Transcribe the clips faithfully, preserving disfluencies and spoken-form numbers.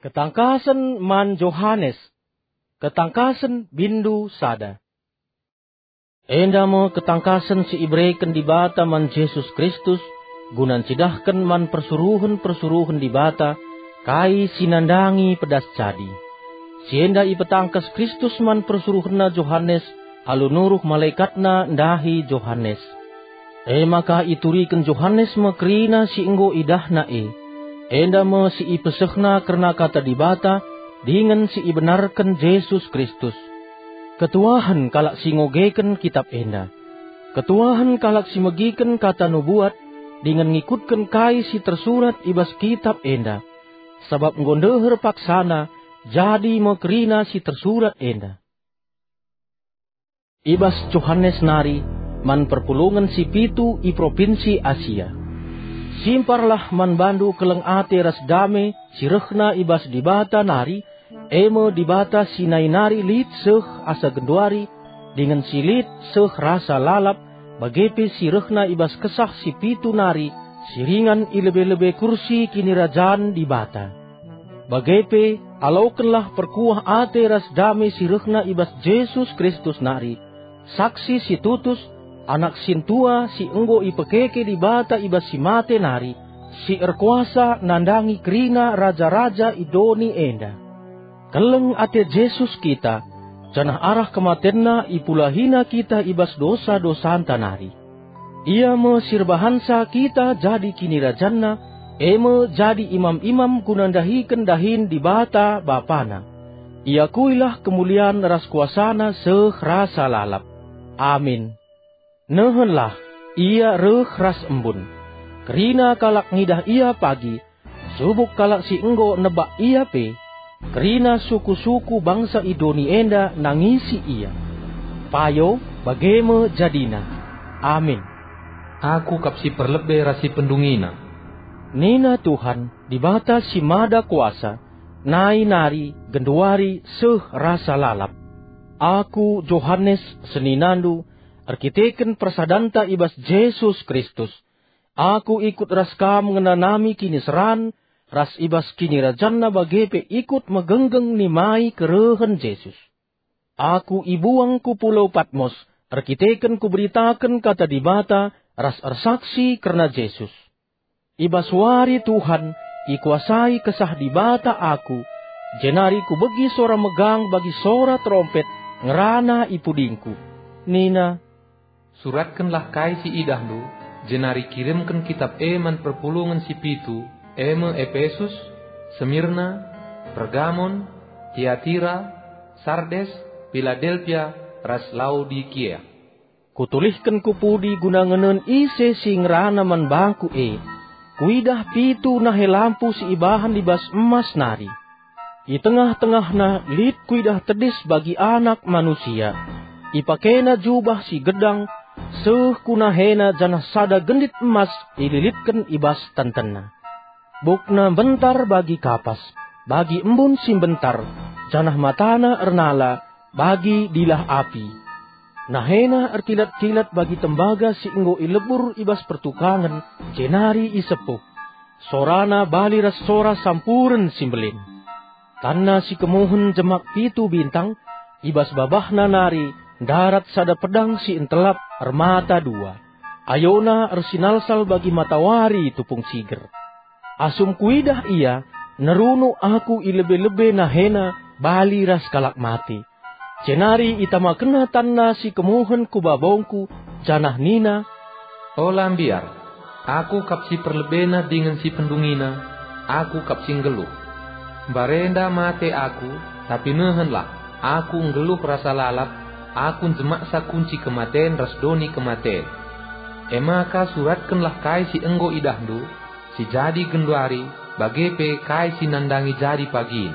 Ketangkasen man Johanes. Ketangkasen bindu sada. Enda me ketangkasen si ibereken Dibata man Jesus Kristus, guna ncidahken man persuruhen-persuruhen Dibata kai si nandangi pedas jadi. Si enda ipetangkas Kristus man persuruhenNa Johanes alu nuruh malaekatNa ndahi Johanes. E maka ituriken Johanes me kerina si enggo idahna e. Enda me si ipesehna kerna Kata Dibata dingen si ibenarken Jesus Kristus. Ketuahen kalak si ngogeken kitap enda. Ketuahen kalak si megiken kata nubuat dingen ngikutken kai si tersurat i bas kitap enda. Sabap enggo ndeher paksana, jadi me kerina si tersurat enda. I bas Johanes nari man perpulungen si pitu i propinsi Asia. Simparlah man bandu keleng ate ras dame si rehna i bas Dibata nari, e me Dibata si nai nari lit seh asa genduari, dingen si lit seh rasa lalap, bage pe si rehna i bas Kesah si pitu nari, si ringan i lebe-lebe kursi kinirajan Dibata. Bage pe, alokenlah perkuah ate ras dame si rehna i bas Jesus Kristus nari, saksi si tutus, Anak sintua si enggo ipekeke Dibata i bas si mate nari, si erkuasa nandangi kerina raja-raja i doni enda. Keleng ate Jesus kita, janah arah kematenNa ipulahiNa kita i bas dosa-dosanta nari. Ia me si erbahansa kita jadi kinirajanNa, e me jadi imam-imam guna ndahiken dahin Dibata Bapana. Iakuilah kemulian ras kuasaNa seh rasa lalap. Amin. Nehenlah, Ia reh ras embun. Kerina kalak ngidah Ia pagi, subuk kalak si enggo nebak Ia pe, kerina suku-suku bangsa i doni enda nangisi Ia. Payo, bage me jadina. Amin. Aku kap si perlebe ras si pendungina. Nina Tuhan, Dibata si Mada Kuasa, nai nari, genduari, seh rasa lalap. Aku, Johanes, seninandu, erkiteken persadanta i bas Jesus Kristus, aku ikut ras kam ngenanami kiniseran ras i bas kinirajanNa bage pe ikut megenggeng nimai kerehen Jesus. Aku ibuang ku pulau Patmos erkiteken kuberitaken Kata Dibata ras ersaksi kerna Jesus. I bas wari Tuhan, ikuasai Kesah Dibata aku, jenari kubegi sora megang bagi sora terompet ngerana i pudingku. Nina, "Suratkenlah kai si idahndu, jenari kirimken kitap e man perpulungen si pitu, e me Epesus, Semirna, Pergamon, Tiatira, Sardes, Piladelpia, ras Laodikia." Kutulihken ku pudi guna ngenen ise si ngerana man bangku e. Kuidah pitu nahe lampu si ibahan i bas emas nari. I tengah-tengahna lit kuidah tedis bagi Anak Manusia. Ipakena jubah si gedang, seh ku nahena janah sada gendit emas ililitken i bas tentenna. Bukna mbentar bagi kapas, bagi embun si mbentar, janah matana ernala bagi dilah api. Nahena erkilat-kilat bagi tembaga si enggo ilebur i bas pertukangen, jenari isepuh. Sorana bali ras sora sampuren si mbelin. Tanna si kemuhen jemak pitu bintang, i bas babahna nari ndarat sada pedang si entelap ermata dua. Ayona ersinalsal bagi matawari tupung siger. Asum kuidah ia, nerunuk aku i lebe-lebe nahena bali ras kalak mate. Jenari itamakenna tanna si kemuhen ku babongku, janah nina, "Ola mbiar, aku kap si perlebena dingen si pendungina, aku kap si nggeluh. Mbarenda mate aku, tapi nehenlah, aku nggeluh rasa lalap, aku njemaksa kunci kematen ras doni kematen. E maka suratkenlah kai si enggo idahndu, si jadi genduari, bage pe kai si nandangi jadi pagin.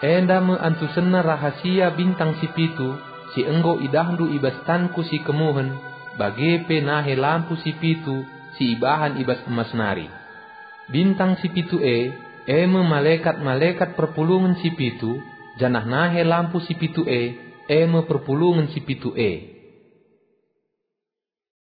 Enda me antusenna rahasia bintang si pitu si enggo idahndu i bas tanku si kemuhen, bage pe nahe lampu si pitu si ibahan i bas emas nari. Bintang si pitu e, e me malekat-malekat perpulungen si pitu, janah nahe lampu si pitu e, e me perpulungen si pitu e."